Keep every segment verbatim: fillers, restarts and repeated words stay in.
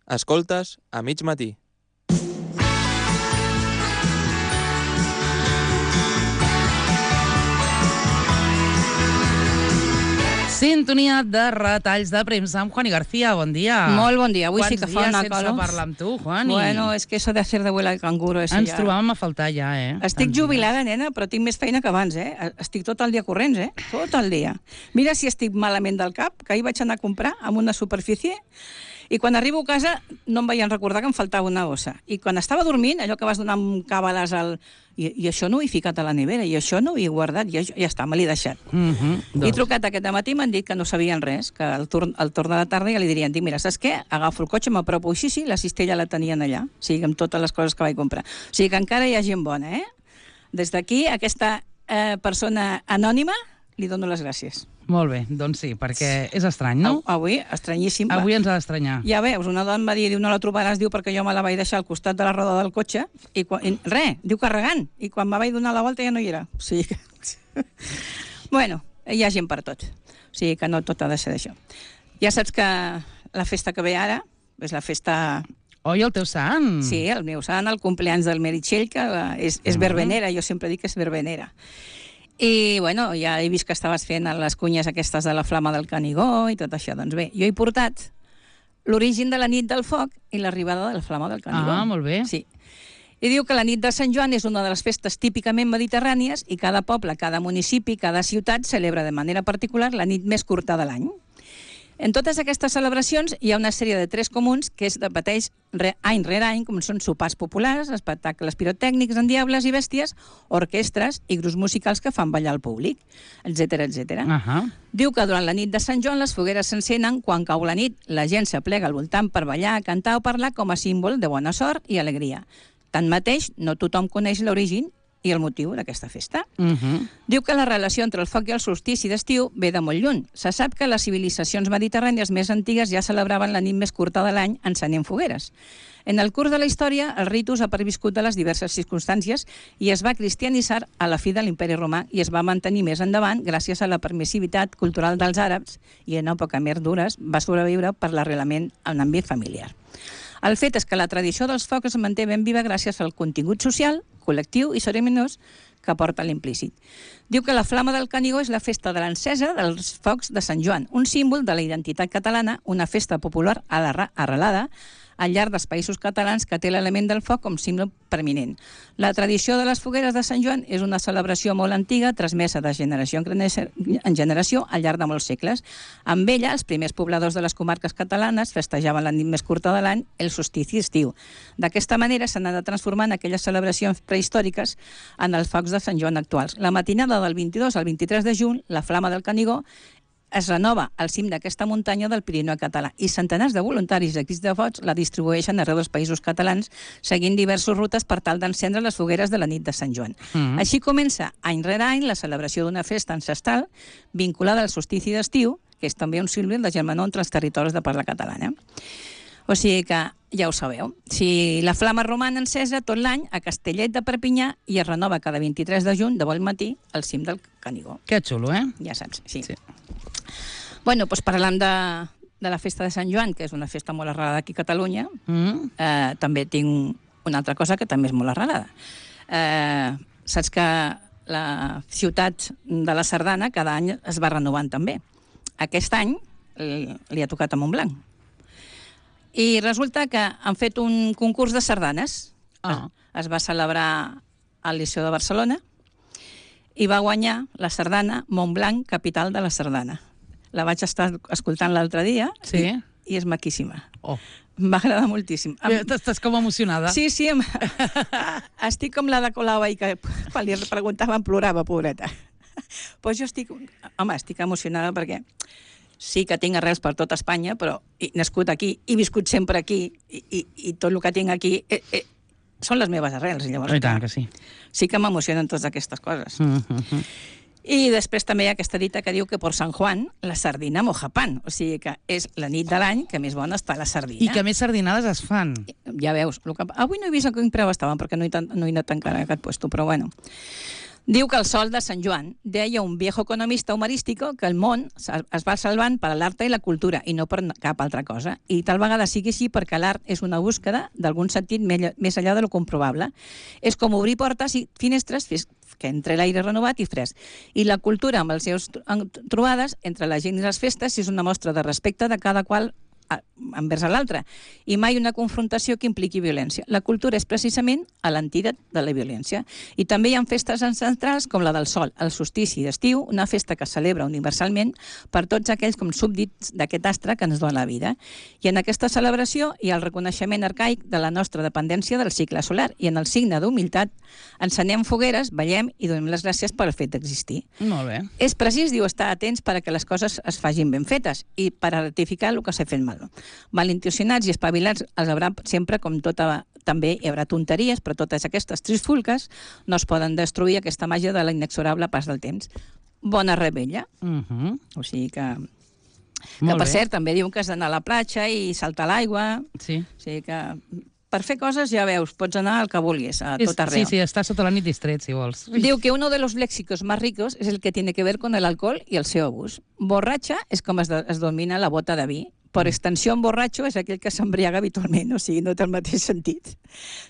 Escoltes a mig matí. Sintonia de retalls de premsa amb Juani García. Bon dia. Molt bon dia. Avui Quants sí que fa una dies calor. sense parlar amb tu, Juani? Bueno, és que eso de hacer de abuela de canguro... Ens ja... trobàvem a faltar ja, eh? Estic jubilada, nena, però tinc més feina que abans, eh? Estic tot el dia corrents, eh? Tot el dia. Mira si estic malament del cap, que ahir vaig anar a comprar amb una superfície i quan arribo a casa no em veien recordar que em faltava una ossa. I quan estava dormint, allò que vas donar amb càbales al... I, I això no ho he ficat a la nevera, i això no ho he guardat, i això, ja està, me l'he deixat. Mm -hmm, doncs. He trucat aquest matí i m'han dit que no sabien res, que al torn, al torn de la tarda ja li dirien, dic, mira, saps què? Agafo el cotxe, m'apropo així, sí, la cistella la tenien allà, o sigui, amb totes les coses que vaig comprar. O sigui que encara hi ha gent bona, eh? Des d'aquí, a aquesta eh, persona anònima, li dono les gràcies. Molt bé, doncs sí, perquè és estrany, no? Avui, estranyíssim. Avui ens ha d'estranyar. Ja veus, una dona em va dir, diu, no la trobaràs, diu, perquè jo me la vaig deixar al costat de la roda del cotxe, i, quan, i res, diu, carregant, i quan me vaig donar la volta ja no hi era. O sigui que... bueno, hi ha gent per tot. O sigui que no tot ha de ser d'això. Ja saps que la festa que ve ara és la festa... Oi, el teu sant? Sí, el meu sant, el compleans del Meritxell, que és, és verbenera, jo sempre dic que és verbenera. I, bueno, ja he vist que estaves fent les cunyes aquestes de la flama del Canigó i tot això. Doncs bé, jo he portat l'origen de la nit del foc i l'arribada de la flama del Canigó. Ah, molt bé. Sí. I diu que la nit de Sant Joan és una de les festes típicament mediterrànies i cada poble, cada municipi, cada ciutat celebra de manera particular la nit més curta de l'any. En totes aquestes celebracions hi ha una sèrie de tres comuns que es repeteix any rere any, com són sopars populars, espectacles pirotècnics en diables i bèsties, orquestres i grups musicals que fan ballar al públic, etcètera, etcètera. Uh-huh. Diu que durant la nit de Sant Joan les fogueres s'encenen quan cau la nit. La gent s'aplega al voltant per ballar, cantar o parlar com a símbol de bona sort i alegria. Tanmateix, no tothom coneix l'origen i el motiu d'aquesta festa. Uh-huh. Diu que la relació entre el foc i el solstici d'estiu ve de molt lluny. Se sap que les civilitzacions mediterrànies més antigues ja celebraven la nit més curta de l'any encenent fogueres. En el curs de la història, el ritus ha perviscut de les diverses circumstàncies i es va cristianitzar a la fi de l'imperi romà i es va mantenir més endavant gràcies a la permissivitat cultural dels àrabs i en època més dures va sobreviure per l'arrelament en ambient familiar. El fet és que la tradició dels focs es manté ben viva gràcies al contingut social, col·lectiu i cerimoniós que porta l'implícit. Diu que la flama del Canigó és la festa de l'encesa dels focs de Sant Joan, un símbol de la identitat catalana, una festa popular arrelada al llarg dels països catalans que té l'element del foc com símbol preeminent. La tradició de les fogueres de Sant Joan és una celebració molt antiga, transmesa de generació en generació al llarg de molts segles. Amb ella, els primers pobladors de les comarques catalanes festejaven la nit més curta de l'any, el solstici estiu. D'aquesta manera s'han anat transformant aquelles celebracions prehistòriques en els focs de Sant Joan actuals. La matinada del vint-i-dos al vint-i-tres de juny, la flama del Canigó es renova al cim d'aquesta muntanya del Pirineu català i centenars de voluntaris i equips de focs la distribueixen arreu dels països catalans seguint diverses rutes per tal d'encendre les fogueres de la nit de Sant Joan. Mm-hmm. Així comença any rere any la celebració d'una festa ancestral vinculada al solstici d'estiu, que és també un símbol de germanor entre els territoris de parla catalana. O sigui que ja ho sabeu. Si la flama roman encesa tot l'any a Castellet de Perpinyà i es renova cada vint-i-tres de juny de bon matí al cim del Canigó. Que xulo, eh? Ja saps, sí. sí. Bueno, doncs parlant de, de la festa de Sant Joan, que és una festa molt arrelada aquí a Catalunya, mm. eh, també tinc una altra cosa que també és molt arrelada. Eh, saps que la ciutat de la Sardana cada any es va renovant també. Aquest any li ha tocat a Montblanc. I resulta que han fet un concurs de sardanes. Ah. Es, es va celebrar al Liceu de Barcelona i va guanyar la sardana Montblanc, capital de la sardana. La vaig estar escoltant l'altre dia sí? i, i és maquíssima. Oh. Em va agradar moltíssim. Em... Estàs com emocionada. Sí, sí. Em... estic com la de Colau i que quan li preguntaven plorava, pobreta. Pues jo estic... Home, estic emocionada perquè sí que tinc arrels per tota Espanya, però he nascut aquí, he viscut sempre aquí i, i, i tot el que tinc aquí eh, eh, són les meves arrels. Llavors, I tant que sí. Sí que m'emocionen totes aquestes coses. Mm-hmm. I després també hi ha aquesta dita que diu que per Sant Juan la sardina moja pan, o sigui que és la nit de l'any que més bona està la sardina. I que més sardinades es fan. Ja veus. El que... Avui no he vist a quin preu estaven perquè no he, no he anat encara a aquest puesto, però bueno. Diu que el sol de Sant Joan deia un viejo economista humorístico que el món es va salvant per l'art i la cultura i no per cap altra cosa. I tal vegada sigui així perquè l'art és una búsqueda d'algun sentit més enllà de lo comprovable. És com obrir portes i finestres que entre l'aire renovat i fresc. I la cultura, amb les seves trobades entre la gent i les festes, és una mostra de respecte de cada qual envers l'altre, i mai una confrontació que impliqui violència. La cultura és precisament l'antídot de la violència. I també hi ha festes ancestrals com la del sol, el solstici d'estiu, una festa que es celebra universalment per tots aquells com súbdits d'aquest astre que ens dona la vida. I en aquesta celebració hi ha el reconeixement arcaic de la nostra dependència del cicle solar, i en el signe d'humilitat encenem fogueres, ballem i donem les gràcies pel fet d'existir. Molt bé. És precís, diu, estar atents per a que les coses es facin ben fetes i per a rectificar el que s'ha fet mal. Malintencionats i espavilats els haurà sempre, com tota, també hi haurà tonteries, però totes aquestes trifulques no es poden destruir aquesta màgia de l'inexorable pas del temps. Bona rebella. Uh -huh. O sigui que... que Molt per bé. cert, també diuen que has d'anar a la platja i saltar a l'aigua. Sí. O sigui que... Per fer coses, ja veus, pots anar al que vulguis, a tot arreu. Sí, sí, està sota la nit distret, si vols. Diu que uno de los léxicos más ricos es el que tiene que ver con el alcohol y el seu abús. Borratxa és com es, de, es domina la bota de vi. Per extensió, un borratxo és aquell que s'embriaga habitualment, o sigui, no té el mateix sentit.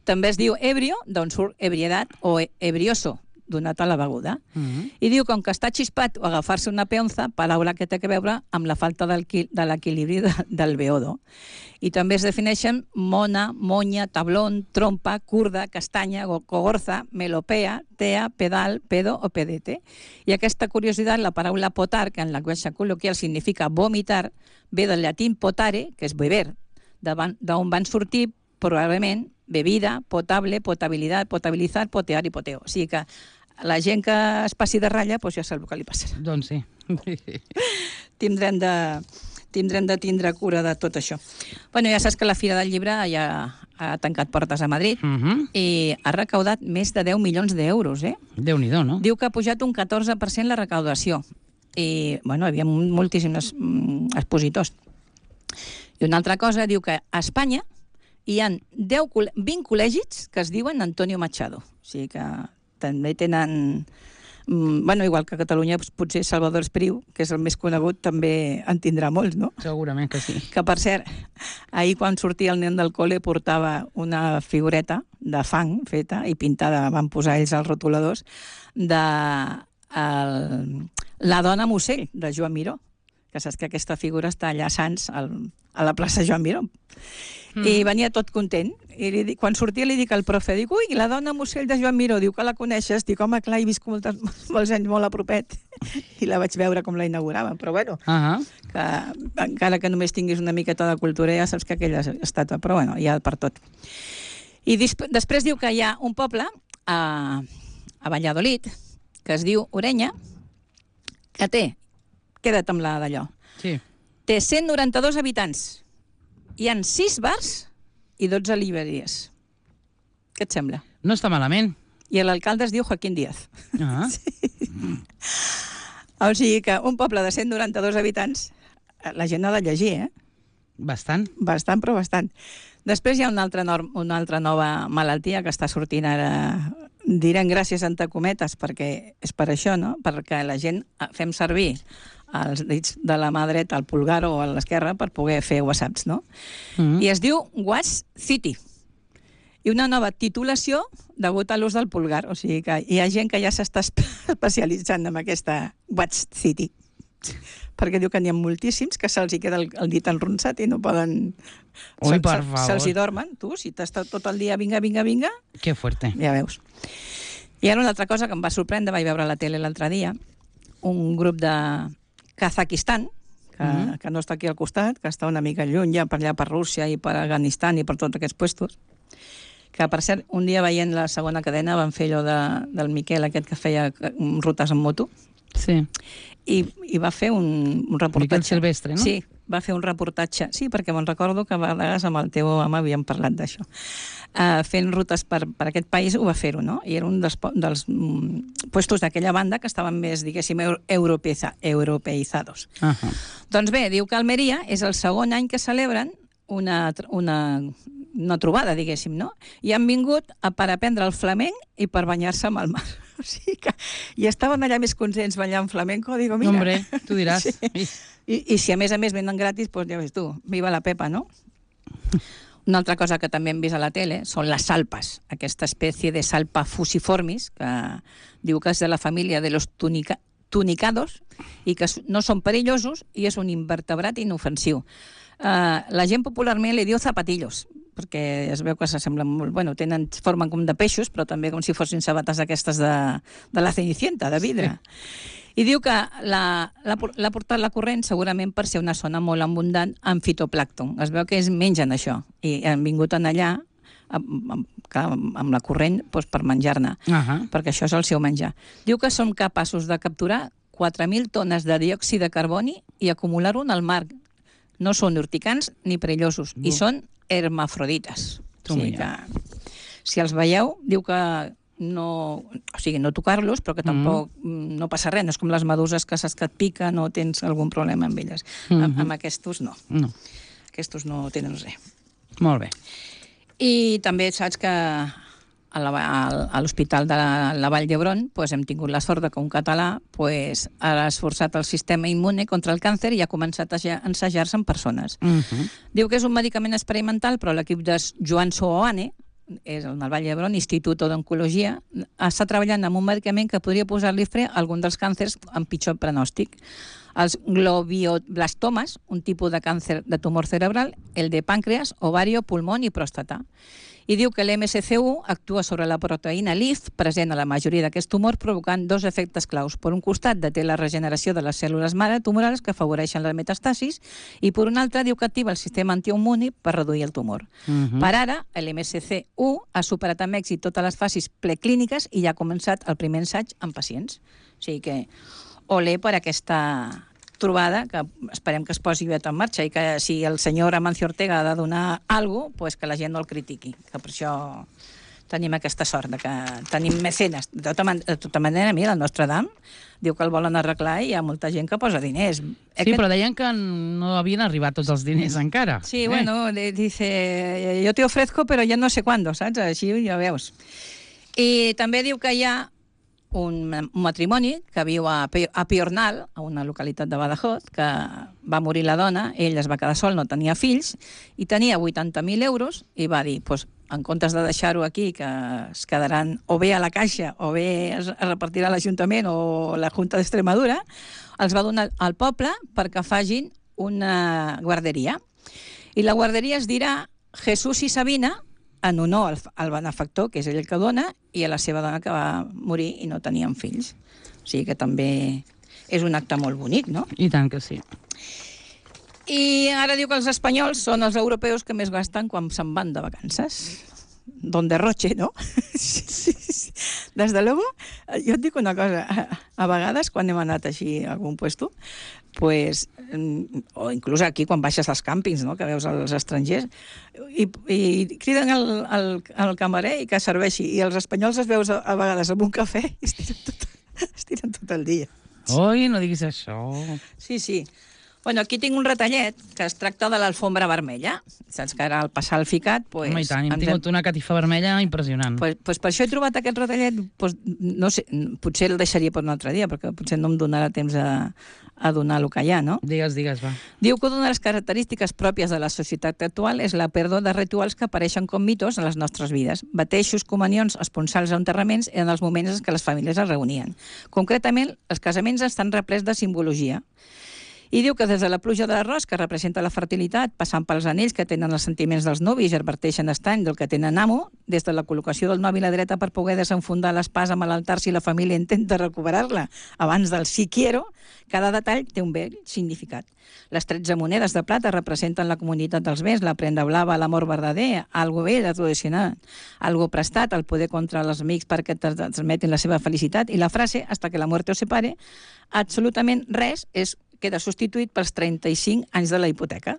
També es diu ebrio, d'on surt ebriedat, o ebrioso, donat a la beguda. Uh -huh. I diu com que està xispat o agafar-se una peonza, paraula que té a veure amb la falta del, de l'equilibri de, del beodo. I també es defineixen mona, monya, tablón, trompa, curda, castanya, cogorza, melopea, tea, pedal, pedo o pedete. I aquesta curiositat, la paraula potar, que en llenguatge col·loquial significa vomitar, ve del llatí potare, que és beber, d'on van sortir probablement bebida, potable, potabilitat, potabilitzar, potear i poteo. O sigui que la gent que es passi de ratlla, doncs ja sap el que li passarà. Doncs sí. Tindrem de... tindrem de tindre cura de tot això. Bueno, ja saps que la Fira del Llibre ja ha tancat portes a Madrid Uh -huh. i ha recaudat més de deu milions d'euros, eh? Déu-n'hi-do, no? Diu que ha pujat un catorze per cent la recaudació. I, bueno, hi havia moltíssims mm, expositors. I una altra cosa, diu que a Espanya hi ha deu, vint col·legis que es diuen Antonio Machado. O sigui que també tenen... Bueno, igual que a Catalunya, potser Salvador Espriu, que és el més conegut, també en tindrà molts, no? Segurament que sí. Que, per cert, ahir quan sortia el nen del col·le portava una figureta de fang feta i pintada, van posar ells els rotuladors, de el, la dona Musell, de Joan Miró, que saps que aquesta figura està allà a Sants, al, a la plaça Joan Miró. Mm. I venia tot content. I li, quan sortia li dic al profe, dic, ui, la dona Musell de Joan Miró, diu que la coneixes, dic, home, clar, he vist moltes, molts anys molt a propet, i la vaig veure com la inauguraven, però bueno, Uh -huh. que encara que només tinguis una miqueta de cultura, ja saps que aquella estàtua, però bueno, hi ha per tot. I després diu que hi ha un poble a, a Valladolid, que es diu Orenya, que té, queda't amb la d'allò, Sí. té cent noranta-dos habitants. Hi ha sis bars i dotze llibreries. Què et sembla? No està malament. I l'alcalde es diu Joaquín Díaz. Uh -huh. O sigui que un poble de cent noranta-dos habitants, la gent ha de llegir, eh? Bastant. Bastant, però bastant. Després hi ha una altra, norm, una altra nova malaltia que està sortint ara, direm gràcies entre cometes, perquè és per això, no? Perquè la gent fem servir els dits de la mà dreta, el pulgar o a l'esquerra, per poder fer whatsapps, no? Uh -huh. I es diu Watch City. I una nova titulació degut a l'ús del pulgar. O sigui que hi ha gent que ja s'està especialitzant en aquesta Watch City. Perquè diu que n'hi ha moltíssims que se'ls hi queda el, el dit enronsat i no poden... Ui, se, per se, favor. Se'ls hi dormen. Tu, si t'has estat tot el dia vinga, vinga, vinga, Que fuerte. ja veus. I ara una altra cosa que em va sorprendre, vaig veure a la tele l'altre dia, un grup de Kazakistan, que, mm -hmm. que no està aquí al costat, que està una mica lluny ja per allà per Rússia i per Afganistan i per tots aquests puestos, que per cert, un dia veient la segona cadena van fer allò de, del Miquel aquest que feia rutes en moto, Sí. i, i va fer un, un reportatge. Miquel Silvestre, no? Sí, va fer un reportatge. Sí, perquè me'n recordo que a vegades amb el teu home havíem parlat d'això. Uh, fent rutes per, per aquest país ho va fer-ho, no? I era un dels, dels mm, puestos d'aquella banda que estaven més, diguéssim, europeiza, europeïzados. Uh -huh. Doncs bé, diu que Almeria és el segon any que celebren una, una una trobada, diguéssim, no? I han vingut a, per aprendre el flamenc i per banyar-se amb el mar. O sigui que... I estaven allà més contents ballant flamenco, digo, mira... Hombre, tu diràs. Sí. I, I si a més a més venen gratis, doncs ja ves tu, viva la Pepa, no? Una altra cosa que també hem vist a la tele són les salpes, aquesta espècie de salpa fusiformis, que diu que és de la família de los tunica, tunicados i que no són perillosos i és un invertebrat inofensiu. Uh, la gent popularment li diu zapatillos, perquè es veu que s'assemblen molt... Bueno, tenen, formen com de peixos, però també com si fossin sabates aquestes de, de la Cenicienta, de vidre. Sí. I diu que l'ha portat la corrent segurament per ser una zona molt abundant en fitoplàncton. Es veu que es mengen això. I han vingut en allà amb, amb, amb la corrent doncs, per menjar-ne, uh -huh. perquè això és el seu menjar. Diu que són capaços de capturar quatre mil tones de diòxid de carboni i acumular-ho en el mar. No són urticants ni perillosos, no. I són hermafrodites. O sigui que, si els veieu, diu que no, o sigui, no tocar-los, però que tampoc mm. no passa res. No és com les meduses que saps que et piquen o tens algun problema amb elles. Mm-hmm. Amb, amb aquestos no. no. Aquestos no tenen res. Molt bé. I també saps que a l'Hospital de la, la Vall d'Hebron pues, hem tingut la sort que un català pues, ha esforçat el sistema immune contra el càncer i ha començat a ensejar-se en persones. Uh-huh. Diu que és un medicament experimental, però l'equip de Joan Soane, és el del Vall d'Hebron, Institut d'Oncologia, està treballant amb un medicament que podria posar-li fre a algun dels càncers amb pitjor pronòstic. Els globioblastomes, un tipus de càncer de tumor cerebral, el de pàncreas, ovario, pulmó i pròstata. I diu que l'M S C U actua sobre la proteïna L I F, present a la majoria d'aquests tumors, provocant dos efectes claus. Per un costat, deté la regeneració de les cèl·lules mare tumorals que afavoreixen la metastasis, i per un altre, diu que activa el sistema antiimmuni per reduir el tumor. Uh-huh. Per ara, l'M S C U ha superat amb èxit totes les fases preclíniques i ja ha començat el primer ensaig en pacients. O sigui que, olé per aquesta trobada, que esperem que es posi aviat en marxa i que si el senyor Amancio Ortega ha de donar alguna cosa, pues que la gent no el critiqui, que per això tenim aquesta sort, de que tenim mecenes. De tota, man de tota manera, mira, el nostre Dam diu que el volen arreglar i hi ha molta gent que posa diners. Sí, Aquest... però deien que no havien arribat tots els diners encara. Sí, eh? bueno, dice, yo te ofrezco, però ja no sé cuándo, saps? Així ja veus. I també diu que hi ha un matrimoni que viu a Piornal, a una localitat de Badajoz, que va morir la dona, ell es va quedar sol, no tenia fills, i tenia vuitanta mil euros, i va dir, pues, en comptes de deixar-ho aquí, que es quedaran o bé a la Caixa, o bé es repartirà l'Ajuntament o la Junta d'Extremadura, els va donar al poble perquè facin una guarderia. I la guarderia es dirà Jesús i Sabina, en honor al, al benefactor, que és ell el que dona, i a la seva dona que va morir i no tenien fills. O sigui que també és un acte molt bonic, no? I tant que sí. I ara diu que els espanyols són els europeus que més gasten quan se'n van de vacances. Don derroche, ¿no? Sí, sí, sí. Des de luego, jo et dic una cosa, a, a vegades quan hem anat així a algun puesto, pues, o inclús aquí quan baixes als càmpings, no?, que veus els estrangers, i, i criden al, al, al camarer i que serveixi, i els espanyols es veus a, a vegades amb un cafè i es tiren tot, es tiren tot el dia. Oi, no diguis això. Sí, sí. Bueno, aquí tinc un retallet que es tracta de l'alfombra vermella. Saps que ara al passar el ficat... Pues, home, i tant, hem tingut una catifa vermella impressionant. Pues, pues per això he trobat aquest retallet, pues, no sé, potser el deixaria per un altre dia, perquè potser no em donarà temps a, a donar el que hi ha, no? Digues, digues, va. Diu que una de les característiques pròpies de la societat actual és la pèrdua de rituals que apareixen com mitos en les nostres vides. Bateixos, comunions, esponsals o enterraments eren els moments en què les famílies es reunien. Concretament, els casaments estan replets de simbologia. I diu que des de la pluja de l'arròs, que representa la fertilitat, passant pels anells que tenen els sentiments dels nuvis i adverteixen estany del que tenen amo, des de la col·locació del novi a la dreta per poder desenfundar l'espasa amb l'altar si la família intenta recuperar-la abans del sí quiero, cada detall té un bell significat. Les tretze monedes de plata representen la comunitat dels béns, la prenda blava, l'amor verdader, algo vell, tradicional, algo prestat, el poder contra els amics perquè transmetin la seva felicitat, i la frase, hasta que la muerte os separe, absolutament res és queda substituït pels trenta-cinc anys de la hipoteca.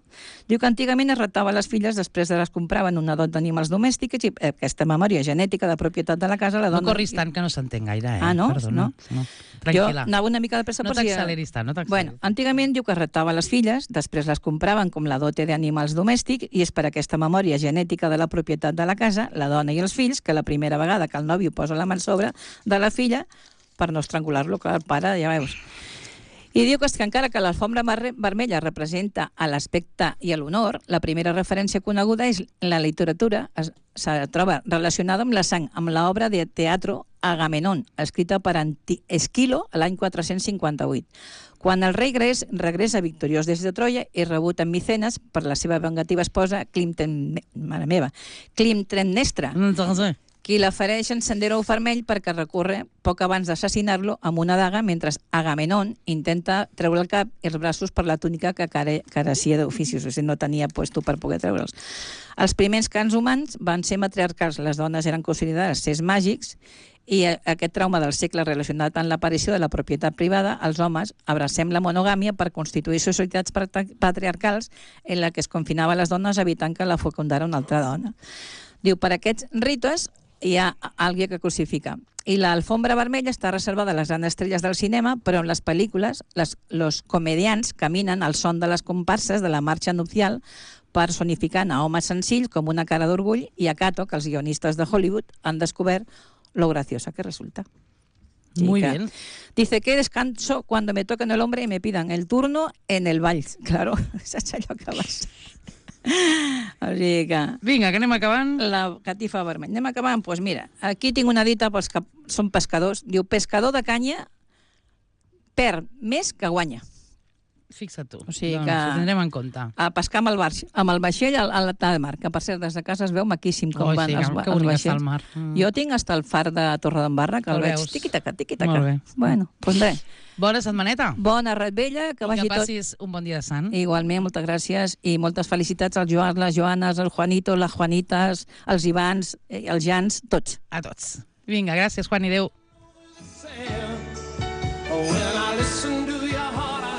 Diu que antigament es ratava les filles després de les compraven una dot d'animals domèstics i aquesta memòria genètica de propietat de la casa la dona... No corris tant que no s'entén gaire, eh? Ah, no? Perdona. No? no. Tranquil·la. Jo anava una mica de pressa no per si... t'acceleris tant, no t'acceleris. Bueno, antigament diu que es ratava les filles, després les compraven com la dote d'animals domèstics i és per aquesta memòria genètica de la propietat de la casa, la dona i els fills, que la primera vegada que el nòvio posa la mà sobre de la filla, per no estrangular-lo, que el pare, ja veus. I diu que, és que encara que l'alfombra vermella representa a l'aspecte i a l'honor, la primera referència coneguda és la literatura, es, se troba relacionada amb la sang, amb l'obra de teatre Agamenón, escrita per Anti Esquilo l'any quatre-cents cinquanta-vuit. Quan el rei gres regressa victoriós des de Troia és rebut amb Micenes per la seva vengativa esposa Climten... mare meva, Climtemnestra, qui l'afereix en sendero vermell perquè recorre poc abans d'assassinar-lo amb una daga mentre Agamenón intenta treure el cap i els braços per la túnica que carecia d'oficis, o sigui, no tenia puesto per poder treure'ls. Els primers cans humans van ser matriarcals, les dones eren considerades sers màgics i aquest trauma del segle relacionat amb l'aparició de la propietat privada, els homes abracem la monogàmia per constituir societats patriarcals en la que es confinava les dones evitant que la fecundara una altra dona. Diu, per aquests rites hi ha alguien que crucifica. I l'alfombra vermella està reservada a les grans estrelles del cinema, però en les pel·lícules les, los comedians caminen al son de les comparses de la marxa nupcial personificant a homes senzills com una cara d'orgull i a Cato, que els guionistes de Hollywood han descobert lo graciosa que resulta. Muy que, bien. Dice que descanso cuando me toquen el hombre y me pidan el turno en el vals. Claro, saps allò que vas... O sigui que... Vinga, que anem acabant. La catifa vermella. Anem acabant? Doncs pues mira, aquí tinc una dita pels que són pescadors. Diu, pescador de canya perd més que guanya. Fixa't tu. O sigui doncs, que... ho tindrem en compte. A pescar amb el, bar, amb el vaixell al, al de mar, que per cert, des de casa es veu maquíssim com oh, van sí, els, que els bonic està el vaixells. mar. Mm. Jo tinc hasta el far de Torredembarra, que el, el veig tiqui-taca, tiqui-taca. Molt bé. Bueno, doncs res. Bona setmaneta. Bona revetlla, que I vagi que tot... passis un bon dia de sant. Igualment, moltes gràcies i moltes felicitats als Joans, les Joanes, el Juanito, les Juanites, els Ivans, els Jans, tots. A tots. Vinga, gràcies, Juan, i adéu.